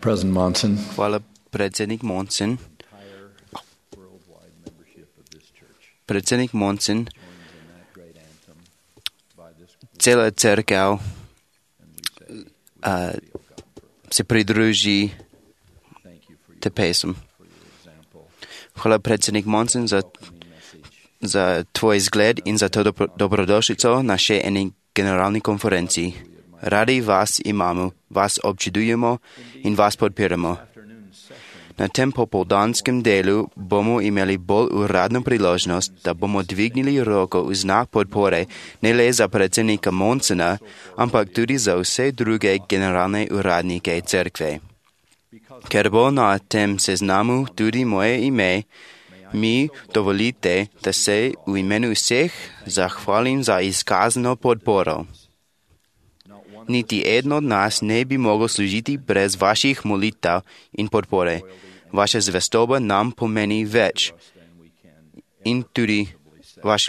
President Monson. Hvala, predsednik Monson. Predsednik Monson, cela crkva se pridruži te pesem. Hvala, predsednik Monson, za tvoj zgled in za to dobrodošlico na še eni generalni konferenciji. Radi vas imamo, vas občudujemo in vas podpiramo. Na tem popoldanskem delu bomo imeli bolj uradno priložnost, da bomo dvignili roko v znak podpore ne le za predsednika Monsona, ampak tudi za vse druge generalne uradnike cerkve. Ker bo na tem seznamu tudi moje ime, mi dovolite, da se v imenu vseh zahvalim za izkazano podporo. Niti eden od nas ne bi mogel služiti brez vaših molitev in podpore. Vaša zvestoba nam pomeni več in tudi vaš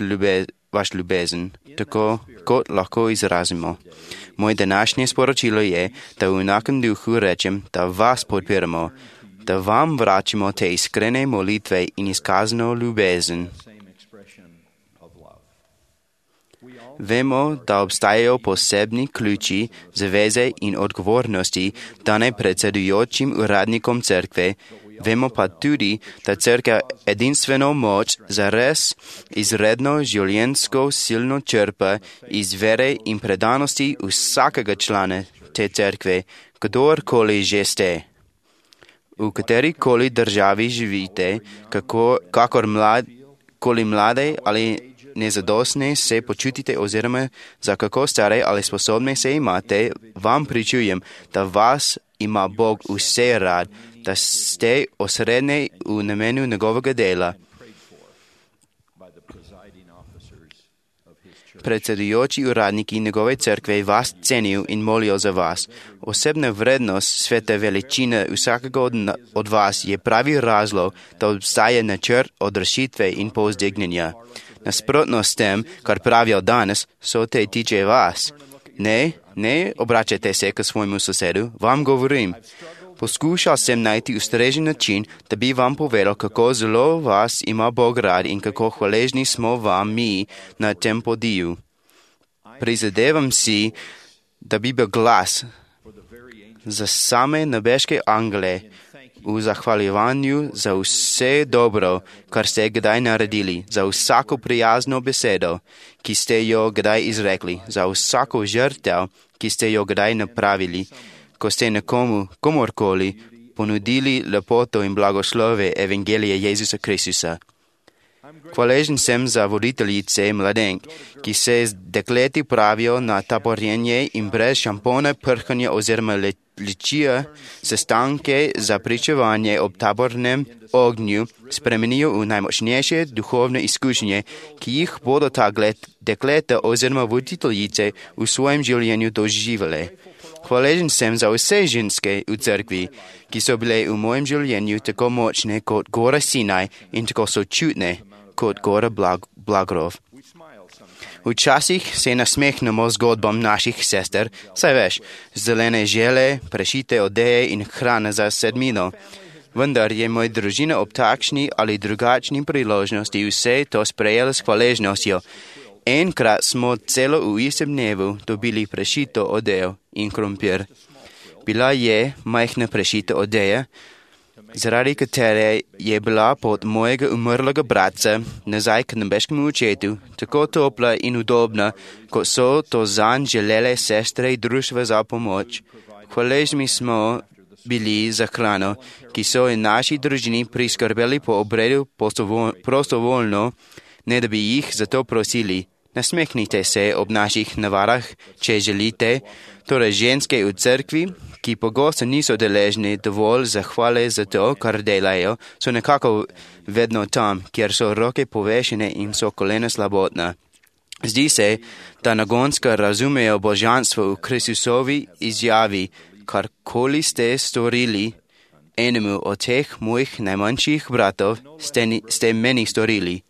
ljubezen, tako kot lahko izrazimo. Moje današnje sporočilo je, da v enakem duhu rečem, da vas podpiramo, da vam vračamo te iskrene molitve in izkazano ljubezen. Vemo, da obstajajo posebni ključi, zaveze in odgovornosti dane predsedujočim uradnikom cerkve. Vemo pa tudi, da cerkev edinstveno moč zares izredno življenjsko silno črpa iz vere in predanosti vsakega člana te cerkve, kdorkoli že ste. V katerikoli državi živite, kakorkoli mlade ali nezadostne se počutite oziroma za kako stare ali sposobne se imate, vam pričujem, da vas ima Bog vse rad, da ste osrednji v namenu njegovega dela. Predsedujoči uradniki njegove cerkve vas cenijo in molijo za vas. Osebna vrednost svete veličine vsakega od vas je pravi razlog, da obstaja načrt odrešitve in povzdignjenja. Nasprotno s tem, kar pravijo danes, so te tiče vas. Ne obračajte se k svojemu sosedu, vam govorim. Poskušal sem najti ustrežen način, da bi vam povedal, kako zelo vas ima Bog rad in kako hvaležni smo vam mi na tem podiju. Prizadevam si, da bi bil glas za same nebeške angele v zahvaljevanju za vse dobro, kar ste kdaj naredili, za vsako prijazno besedo, ki ste jo kdaj izrekli, za vsako žrtev, ki ste jo kdaj napravili, ko ste komorkoli ponudili lepoto in blagoslove Evangelije Jezusa Kristusa. Hvaležen sem za voditeljice mladenk, ki se z dekleti pravijo na taborjenje in brez šampona, prhanja oziroma ličija sestanke za pričevanje ob tabornem ognju spremenijo v najmočnejše duhovne izkušnje, ki jih bodo ta dekleta oziroma voditeljice v svojem življenju doživele. Hvaležen sem za vse ženske v cerkvi, ki so bile v mojem življenju tako močne kot gora Sinaj in tako sočutne kot gora Blagrov. Včasih se nasmehnemo zgodbam naših sester, saj veš, zelene žele, prešite odeje in hrana za sedmino. Vendar je moja družina ob takšni ali drugačni priložnosti vse to sprejela s hvaležnostjo. Enkrat smo celo v istem dnevu dobili prešito odejo in krompir. Bila je majhna prešita odeja, zaradi katere je bila pot mojega umrlega bratca nazaj k nebeškemu očetu tako topla in udobna, kot so to zanj želele sestre društva za pomoč. Hvaležni smo bili za hrano, ki so in naši družini priskrbeli po obredu prostovoljno, ne da bi jih za to prosili. Nasmehnite se ob naših navadah, če želite, torej ženske v cerkvi, ki pogosto niso deležni dovolj zahvale za to, kar delajo, so nekako vedno tam, kjer so roke povešene in so kolena slabotna. Zdi se, da nagonska razumejo božanstvo v Kristusovi izjavi, karkoli ste storili enemu od teh mojih najmanjših bratov, ste meni storili.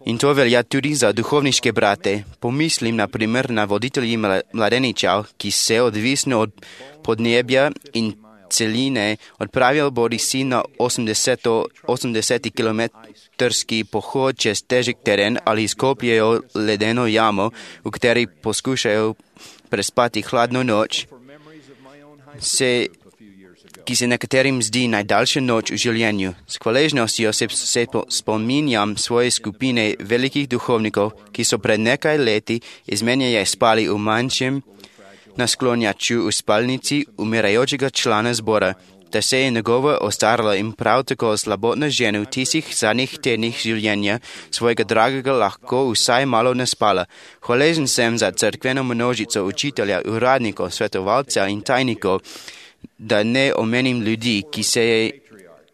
In to velja tudi za duhovniške brate. Pomislim na primer na voditelji mladeničev, ki se odvisno od podnebja in celine, odpravil bodisi na 80-kilometrski pohod čez težek teren ali izkopljejo ledeno jamo, v kateri poskušajo prespati hladno noč, ki se nekaterim zdi najdaljša noč v življenju. S hvaležnostjo se spominjam svoje skupine velikih duhovnikov, ki so pred nekaj leti izmenjaje spali v manjšem nasklonjaču v spalnici umirajočega člana zbora, da se je njegova ostarala in prav tako slabotna žena v tistih zadnjih tednih življenja svojega dragega lahko vsaj malo naspala. Hvaležen sem za cerkveno množico učitelja, uradnikov, svetovalcev in tajnikov, da ne omenim ljudi,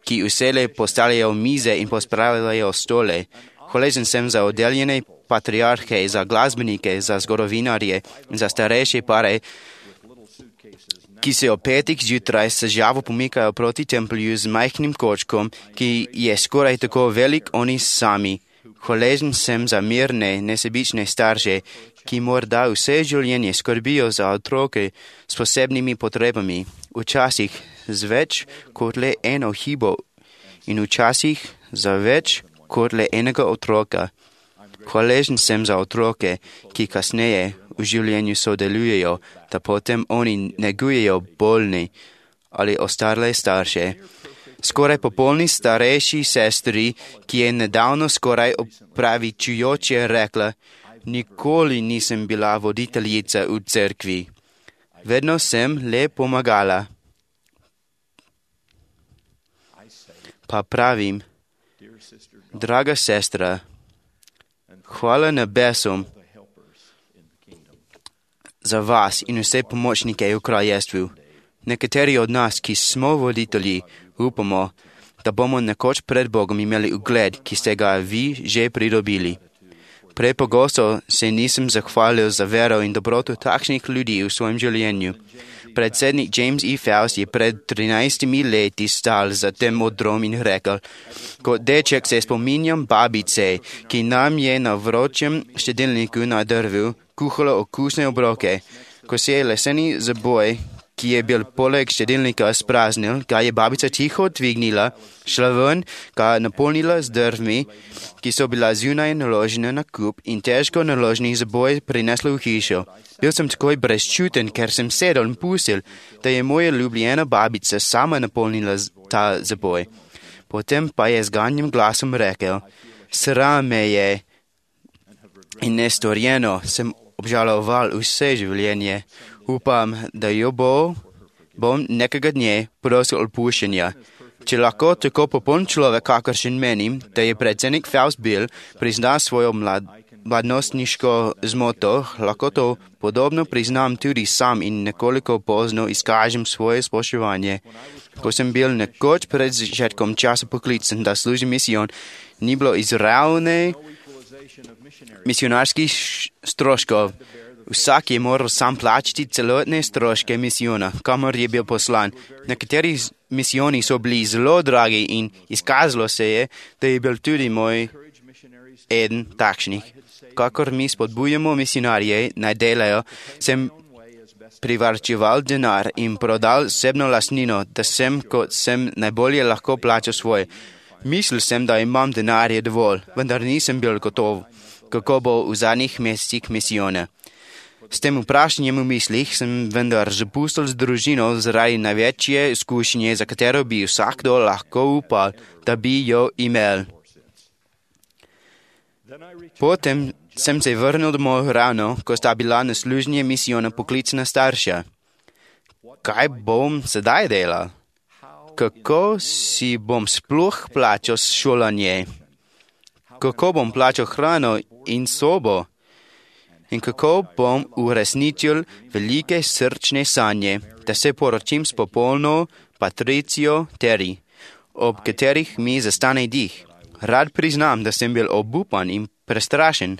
ki vselej postavljajo mize in pospravljajo stole. Hvaležen sem za oddeljene patriarhe, za glasbenike, za zgodovinarje in za starejše pare, ki se ob 5 zjutraj s žavo pomikajo proti templju z majhnim kočkom, ki je skoraj tako velik oni sami. Hvaležen sem za mirne, nesebične starše, ki morda vse življenje skrbijo za otroke s posebnimi potrebami, včasih z več kot le eno hibo in včasih za več kot le enega otroka. Hvaležen sem za otroke, ki kasneje v življenju sodelujejo, da potem oni negujejo bolni ali ostarle starše. Skoraj popolni starejši sestri, ki je nedavno skoraj opravičujoče rekla, nikoli nisem bila voditeljica v cerkvi. Vedno sem le pomagala. Pa pravim, draga sestra, hvala nebesom za vas in vse pomočnike v kraljestvu. Nekateri od nas, ki smo voditelji, upamo, da bomo nekoč pred Bogom imeli ugled, ki ste ga vi že pridobili. Prepogosto se nisem zahvalil za vero in dobroto takšnih ljudi v svojem življenju. Predsednik James E. Faust je pred 13 leti stal za tem odrom in rekel, kot deček se spominjam babice, ki nam je na vročem štedilniku na drvu kuhala okusne obroke. Ko se je leseni zaboj, ki je bil poleg štedilnika spraznil, ga je babica tiho dvignila, šla ven, ga napolnila z drvmi, ki so bila zunaj naložene na kup in težko naloženi zaboj prinesla v hišo. Bil sem takoj brezčuten, ker sem sedel in pustil, da je moja ljubljena babica sama napolnila ta zaboj. Potem pa je z ganjim glasom rekel, sram me je in nestorjeno sem obžaloval vse življenje. Upam, da jo bom nekega dne prosil odpuščenja. Če lahko tako popoln človek, kakršen menim, da je predsednik Faust bil, prizna svojo mladostniško zmoto, lahko to podobno priznam tudi sam in nekoliko pozno izkažem svoje spoštovanje. Ko sem bil nekoč pred začetkom časa poklican, da služim misijon, ni bilo izravne misionarskih stroškov. Vsak je moral sam plačati celotne stroške misijona, kamor je bil poslan. Nekateri misijoni so bili zelo dragi in izkazalo se je, da je bil tudi moj eden takšnih. Kakor mi spodbujamo misionarje, naj delajo, sem privarčeval denar in prodal osebno lastnino, da sem, kot sem najbolje lahko plačal svoje. Mislil sem, da imam denarje dovolj, vendar nisem bil gotov, kako bo v zadnjih mesecih misijona. S tem vprašanjem v mislih sem vendar zapustil z družino zaradi največje izkušnje, za katero bi vsakdo lahko upal, da bi jo imel. Potem sem se vrnil domov ravno, ko sta bila na služnje misijona poklicana starša. Kaj bom sedaj delal? Kako si bom sploh plačal šolanje? Kako bom plačal hrano in sobo? In kako bom uresničil velike srčne sanje, da se poročim s popolno Patricijo Terry, ob katerih mi zastane dih. Rad priznam, da sem bil obupan in prestrašen.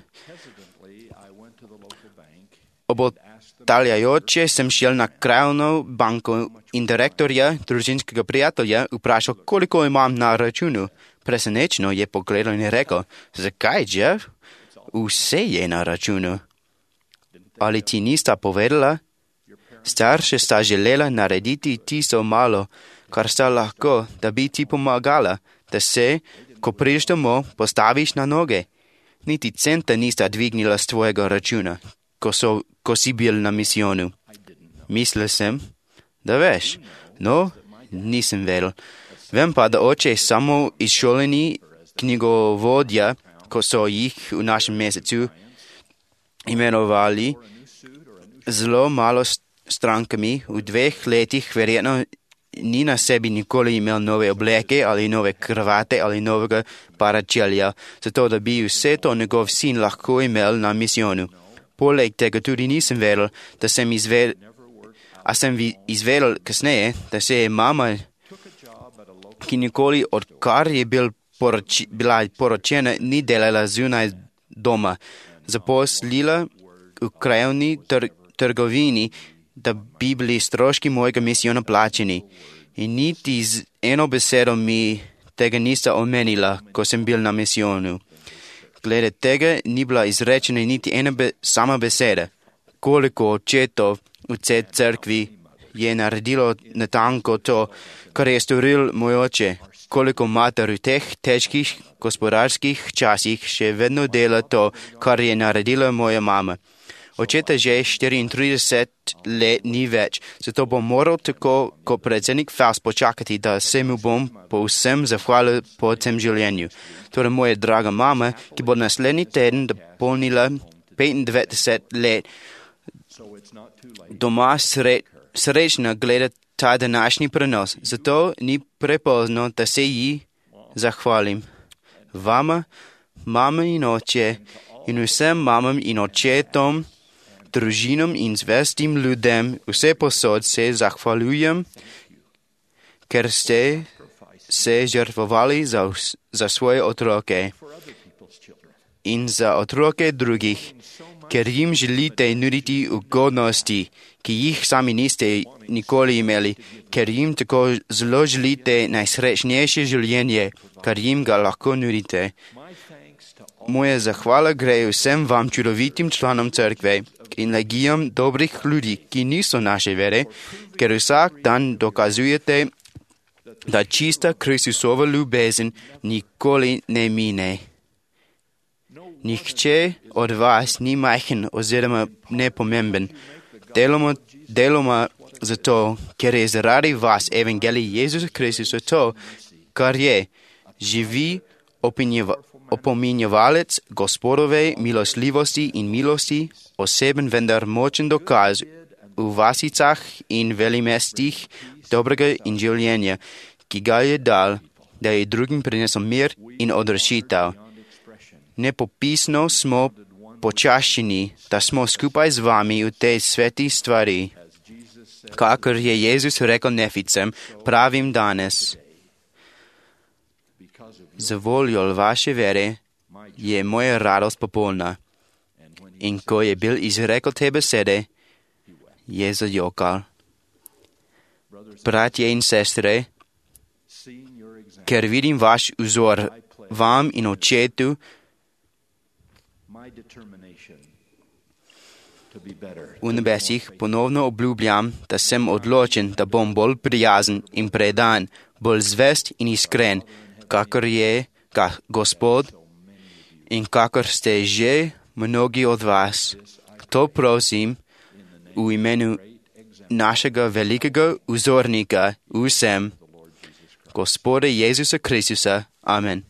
Obotavljajoče sem šel na krajevno banko in direktorja družinskega prijatelja vprašal, koliko imam na računu. Presenečeno je pogledal in rekel, zakaj, Jeff? Vse je na računu. Ali ti nista povedala? Starša sta želela narediti tisto malo, kar sta lahko, da bi ti pomagala, da se, ko prideš domov, postaviš na noge. Niti centa nista dvignila z tvojega računa, ko si bil na misijonu. Mislil sem, da veš. No, nisem vedel. Vem pa, da oče je samo izšoleni knjigovodja, ko so jih v našem mesecu imenovali zelo malo strankami. V 2 letih verjetno ni na sebi nikoli imel nove obleke ali nove kravate ali novega paračelja, zato da bi vse to njegov sin lahko imel na misijonu. Poleg tega tudi nisem vedel, da sem izvedel kasneje, da se je mama, ki nikoli odkar je bila poročena, ni delala zunaj doma, zaposlila v krajevni trgovini, da bi bili stroški mojega misijona plačeni. In niti z eno besedo mi tega nista omenila, ko sem bil na misijonu. Glede tega ni bila izrečena niti ena sama beseda. Koliko očetov v tej cerkvi je naredilo natanko to, kar je storil moj oče. Koliko mater v teh težkih gospodarskih časih še vedno dela to, kar je naredila moja mama. Očeta že 34 let ni več, zato bom moral tako kot predsednik Faust počakati, da se mu bom povsem zahvalil po tem življenju. Torej moja draga mama, ki bo naslednji teden dopolnila 95 let, doma srečna gleda ta današnji prenos, zato ni prepozno, da se ji zahvalim. Vama, mama in oče in vsem mamam in očetom, družinam in zvestim ljudem vse posod se zahvaljujem, ker ste se žrtvovali za svoje otroke in za otroke drugih, ker jim želite nuditi ugodnosti, ki jih sami niste nikoli imeli, ker jim tako zelo želite najsrečnejše življenje, kar jim ga lahko nudite. Moja zahvala gre vsem vam čudovitim članom cerkve in legijam dobrih ljudi, ki niso naše vere, ker vsak dan dokazujete, da čista Kristusova ljubezen nikoli ne mine. Nihče od vas ni majhen oziroma nepomemben. Deloma zato, ker je zaradi vas evangelij Jezusa Kristusa to, kar je, živi opominjevalec Gospodove milostljivosti in milosti, oseben vendar močen dokaz v vasicah in velimestih dobrega in življenja, ki ga je dal, da je drugim prinesel mir in odrešitev. Nepopisno smo počaščeni, da smo skupaj z vami v tej sveti stvari. Kakor je Jezus rekel Neficem, pravim danes. Za voljo vaše vere je moja radost popolna. In ko je bil izrekel te besede, je zajokal. Bratje in sestre, ker vidim vaš vzor vam in očetu, v nebesih ponovno obljubljam, da sem odločen, da bom bolj prijazen in predan, bolj zvest in iskren, kakor je Gospod in kakor ste že mnogi od vas. To prosim v imenu našega velikega vzornika vsem, Gospoda Jezusa Kristusa. Amen.